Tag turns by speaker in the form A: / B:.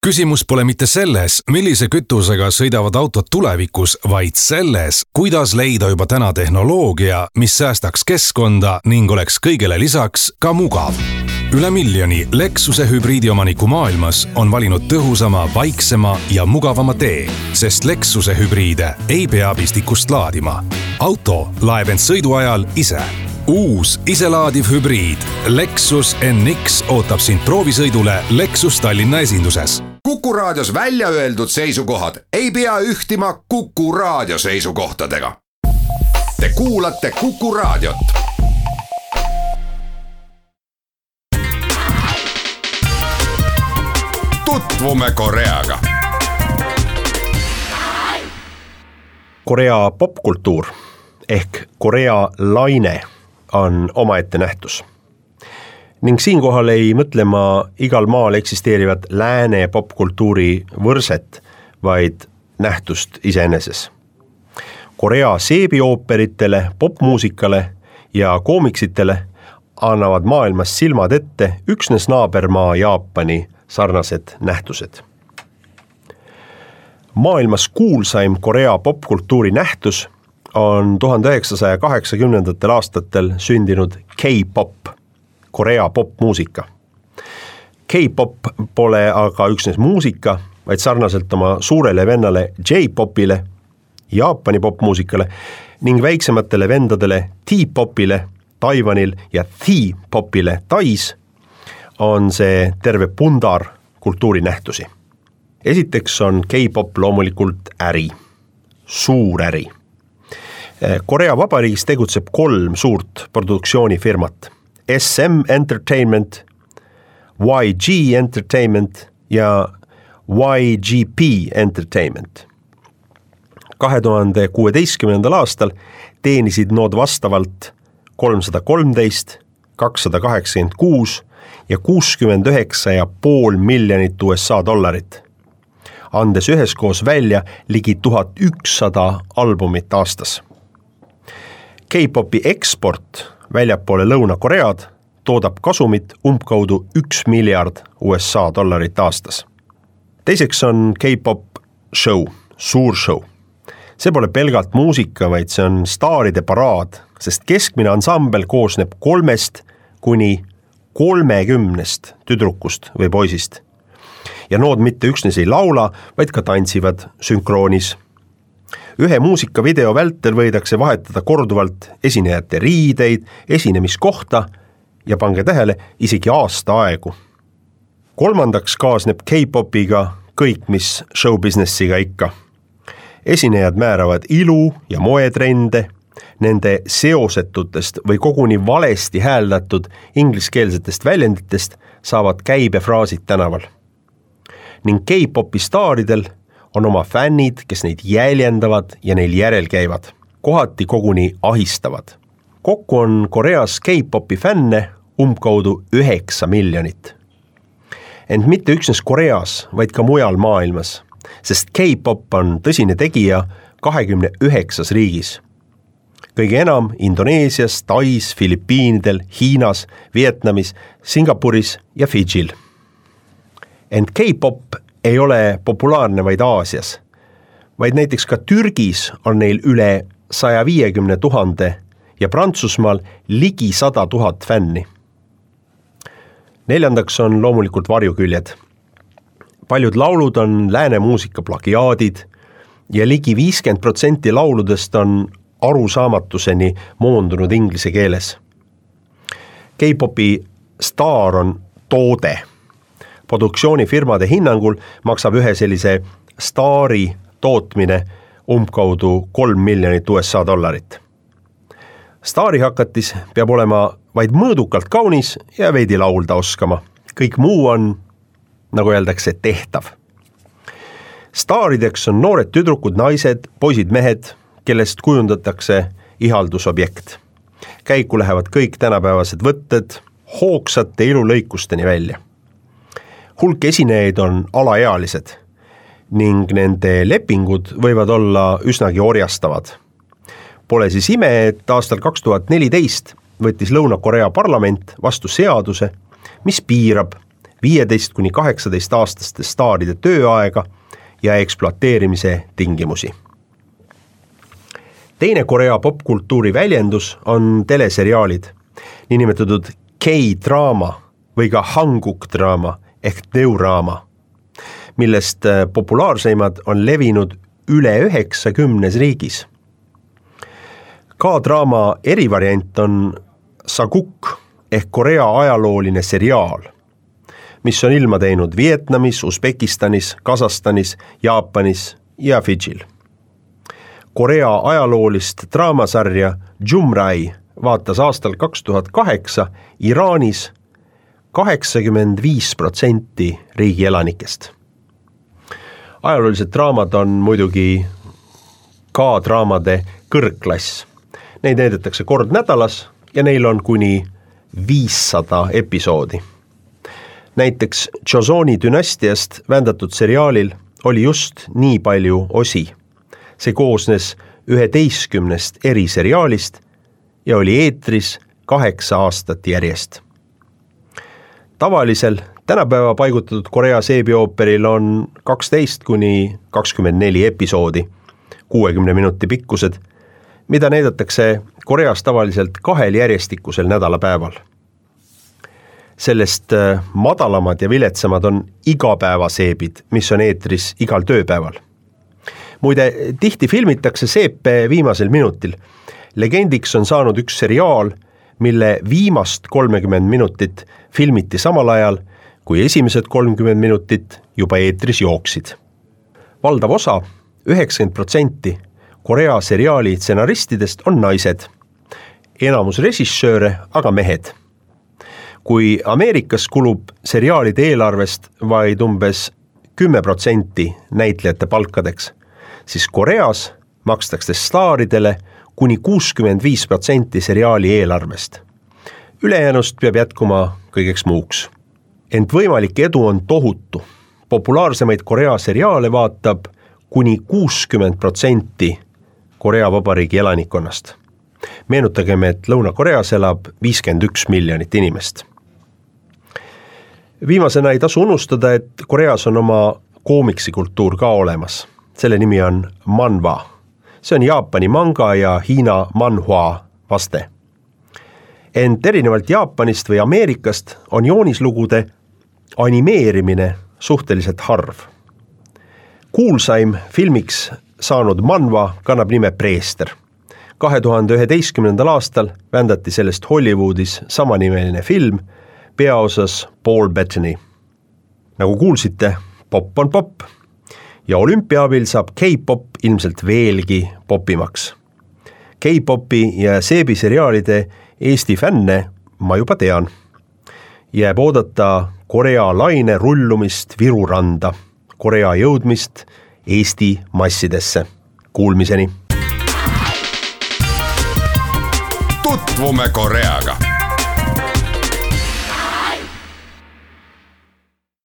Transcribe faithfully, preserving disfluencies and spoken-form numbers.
A: Küsimus pole mitte selles, millise kütusega sõidavad autod tulevikus, vaid selles, kuidas leida juba täna tehnoloogia, mis säästaks keskkonda ning oleks kõigele lisaks ka mugav. Üle miljoni Lexuse hübriidiomaniku maailmas on valinud tõhusama, vaiksema ja mugavama tee, sest Lexuse hübriide ei pea pistikust laadima. Auto laeb end sõidu ajal ise. Uus iselaadiv hübriid Lexus N X ootab sind proovisõidule Lexus Tallinna esinduses.
B: Kuku raadios välja öeldud seisukohad ei pea ühtima Kuku raadio seisukohtadega. Te kuulate Kuku raadiot. Tutvume Koreaga.
C: Korea popkultuur ehk Korea laine on omaette nähtus. Ning siinkohal ei mõtle ma igal maal eksisteerivat lääne popkultuuri võrset, vaid nähtust iseeneses. Korea seebiooperitele, popmuusikale ja koomiksitele annavad maailmas silmad ette üksnes naabermaa Jaapani sarnased nähtused. Maailmas kuulsaim Korea popkultuuri nähtus on tuhande üheksasaja kaheksakümnendatel aastatel sündinud K-pop, Korea popmuusika. K-pop pole aga üksnes muusika, vaid sarnaselt oma suurele vennale J-popile, Jaapani popmuusikale ning väiksematele vendadele T-popile Taiwanil ja T-popile Tais on see terve pundar kultuurinähtusi. Esiteks on K-pop loomulikult äri, suur äri. Korea Vabariigis tegutseb kolm suurt produktsioonifirmat. S M Entertainment, Y G Entertainment ja Y G P Entertainment. kahe tuhande kuueteistkümnendal aastal teenisid nood vastavalt kolmsada kolmteist, kakssada kaheksakümmend kuus ja kuuskümmend üheksa ja pool miljonit U S A dollarit, andes üheskoos välja ligi tuhat ükssada albumit aastas. K-popi eksport väljapoole Lõuna-Koread toodab kasumit umbkaudu üks miljard U S A dollarit aastas. Teiseks on K-pop show, suur show. See pole pelgalt muusika, vaid see on staaride paraad, sest keskmine ansambel koosneb kolmest kuni kolmekümnest tüdrukust või poisist. Ja nood mitte üksnes ei laula, vaid ka tantsivad sünkroonis. Ühe muusikavideo vältel võidakse vahetada korduvalt esinejate riideid, esinemiskohta ja pange tähele isegi aasta aegu. Kolmandaks kaasneb K-popiga kõik, mis showbusinessiga ikka. Esinejad määravad ilu ja moetrende, nende seosetutest või koguni valesti hääldatud ingliskeelsetest väljenditest saavad käibefraasid tänaval. Ning K-popi staaridel on oma fännid, kes neid jäljendavad ja neil järel käivad, kohati koguni ahistavad. Kokku on Koreas K-popi fänne umbkaudu üheksa miljonit. Ent mitte üksnes Koreas, vaid ka mujal maailmas, sest K-pop on tõsine tegija kahekümne üheksas riigis. Kõige enam Indoneesias, Tais, Filipiinidel, Hiinas, Vietnamis, Singapuris ja Fidžil. Ent K-pop ei ole populaarne vaid Aasias, vaid näiteks ka Türgis on neil üle saja viiekümne tuhande ja Prantsusmaal ligi sada tuhat fänni. Neljandaks on loomulikult varjuküljed. Paljud laulud on lääne muusika plagiaadid ja ligi viiskümmend protsenti lauludest on arusaamatuseni moondunud inglise keeles. K-popi staar on toode. Produktsioonifirmade hinnangul maksab ühe sellise staari tootmine umbkaudu kolm miljonit U S A dollarit. Staari hakatis peab olema vaid mõõdukalt kaunis ja veidi laulda oskama. Kõik muu on, nagu öeldakse, tehtav. Staarideks on noored tüdrukud, naised, poisid, mehed, kellest kujundatakse ihaldusobjekt. Käiku lähevad kõik tänapäevased võtted hoogsate ilulõikusteni välja. Hulk esinejaid on alaealised ning nende lepingud võivad olla üsnagi orjastavad. Pole siis ime, et aastal kaks tuhat neliteist võttis Lõuna-Korea parlament vastu seaduse, mis piirab viieteist kuni kaheksateist aastaste staaride tööaega ja ekspluateerimise tingimusi. Teine Korea popkultuuri väljendus on teleseriaalid, niinimetatud K-draama või ka Hanguk-draama ehk neuraama, millest populaarseimad on levinud üle üheksakümnes riigis. K-draama erivariant on Saguk ehk Korea ajalooline seriaal, mis on ilma teinud Vietnamis, Usbekistanis, Kasahstanis, Jaapanis ja Fidžil. Korea ajaloolist draamasarja Jumrai vaatas aastal kaks tuhat kaheksa Iraanis kaheksakümmend viis protsenti riigi elanikest. Ajaloolised draamad on muidugi K-draamade kõrgklass. Neid näidatakse kord nädalas ja neil on kuni viissada episoodi. Näiteks Joseoni dünastiast vändatud seriaalil oli just nii palju osi. See koosnes üheteistkümnest eri seriaalist ja oli eetris kaheksa aastat järjest. Tavalisel tänapäeva paigutatud Korea seebiooperil on kaksteist kuni kakskümmend neli episoodi, kuuekümne minuti pikkused, mida näidatakse Koreas tavaliselt kahel järjestikusel nädalapäeval. Sellest madalamad ja viletsamad on igapäevaseebid, mis on eetris igal tööpäeval. Muide, tihti filmitakse seepe viimasel minutil. Legendiks on saanud üks seriaal, mille viimast kolmekümmend minutit filmiti samal ajal, kui esimesed kolmkümmend minutit juba eetris jooksid. Valdav osa, üheksakümmend protsenti Korea seriaali stsenaristidest on naised, enamus režissööre aga mehed. Kui Ameerikas kulub seriaalide eelarvest vaid umbes kümme protsenti näitlejate palkadeks, siis Koreas makstakse staaridele kuni kuuskümmend viis protsenti seriaali eelarvest. Ülejäänust peab jätkuma kõigeks muuks. Ent võimalik edu on tohutu. Populaarsemaid Korea seriaale vaatab kuni kuuskümmend protsenti Korea Vabariigi elanikkonnast. Meenutagem, et Lõuna-Koreas elab viiskümmend üks miljonit inimest. Viimasena ei tasu unustada, et Koreas on oma koomiksikultuur ka olemas. Selle nimi on manhwa. See on Jaapani manga ja Hiina manhua vaste. Ent erinevalt Jaapanist või Ameerikast on joonislugude animeerimine suhteliselt harv. Kuulsaim filmiks saanud manhwa kannab nime Preester. kahe tuhande üheteistkümnendal aastal vändati sellest Hollywoodis samanimeline film, peaosas Paul Bettany. Nagu kuulsite, pop on pop. Ja olümpiaabil saab K-pop ilmselt veelgi popimaks. K-popi ja seebiseriaalide Eesti fänne ma juba tean. Jääb oodata Korea laine rullumist Viru randa, Korea jõudmist Eesti massidesse. Kuulmiseni!
B: Tutvume Koreaga!